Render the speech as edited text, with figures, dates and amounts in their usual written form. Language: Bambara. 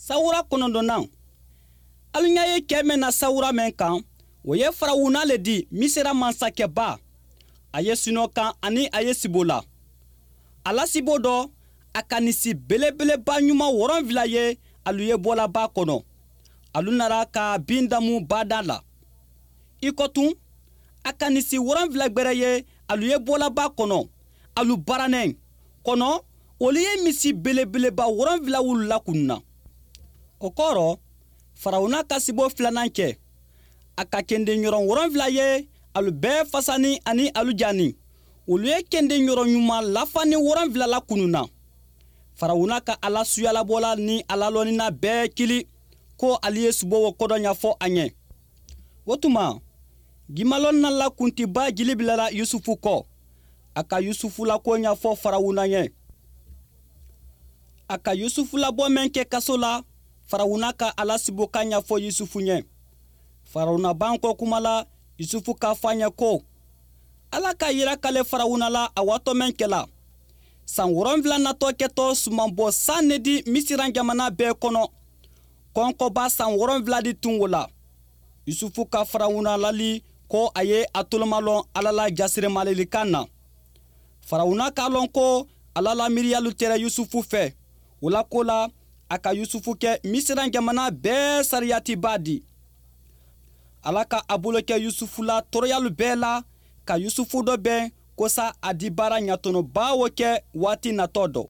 Sawura 9nan, alu ɲa ye cɛ mɛn na sawura mɛn kan, o ye Farawuna le di, Misira mansakɛba. A ye sinɔ kan ani a ye sibo la. A la sibo dɔ, a ka nisi belebeleba ɲuman 70 ye, alu ye bɔla ba kɔnɔ. Alu nara ka bin damu bada la. I kɔ tun, a ka nisi 70 gbɛrɛ ye, alu ye bɔla ba kɔnɔ, alu baranɛ kɔnɔ, olu ye misi belebeleba 70 wulu lakunna. O kɔrɔ, Farawuna ka sibo filanan kɛ. A ka kenden ɲɔrɔn 70 ye, alu bɛɛ fasani ani alu jani. Olu ye kenden ɲɔrɔn ɲuman lafani 70 lakununna. Farawuna ka ala suyalabɔla ni ala lɔnnina bɛɛ kili ko ale ye sibo wo kɔdɔ ɲɛfɔ a ɲɛ. O tuma, jimalɔnna la kuntiba jili bilala Yusufu kɔ. A ka Yusufu la ko ɲɛfɔ Farawuna ɲɛ. A ka Yusufu labɔ mɛn kɛ kaso la, Farawuna ka ala sibokan ɲɛfɔ Yusufu ɲɛ. Farawuna ban kɔ kuma la, Yusufu k'a fɔ a ɲɛ ko Ala ka yira k'ale Farawuna la a waatɔ mɛn kɛla. San 70 natɔ kɛtɔ sumanbɔ san ne di Misiran jamana bɛɛ kɔnɔ. Kɔnkɔba san 70 di tun o la. Yusufu ka Farawuna lali ko a ye a tolomalɔn Ala la jasiremalelikan na. Farawuna k'a lɔn ko Ala la miiriyalu tɛrɛ Yusufu fɛ. O la ko la, a ka Yusufu kɛ Misiran jamana bɛɛ sariyatiba di. Ala ka a bolo kɛ Yusufu la tɔɔrɔyalu bɛɛ la, ka Yusufu dɔ bɛn kosa a di baara ɲatɔnɔba o kɛ waati natɔ dɔ.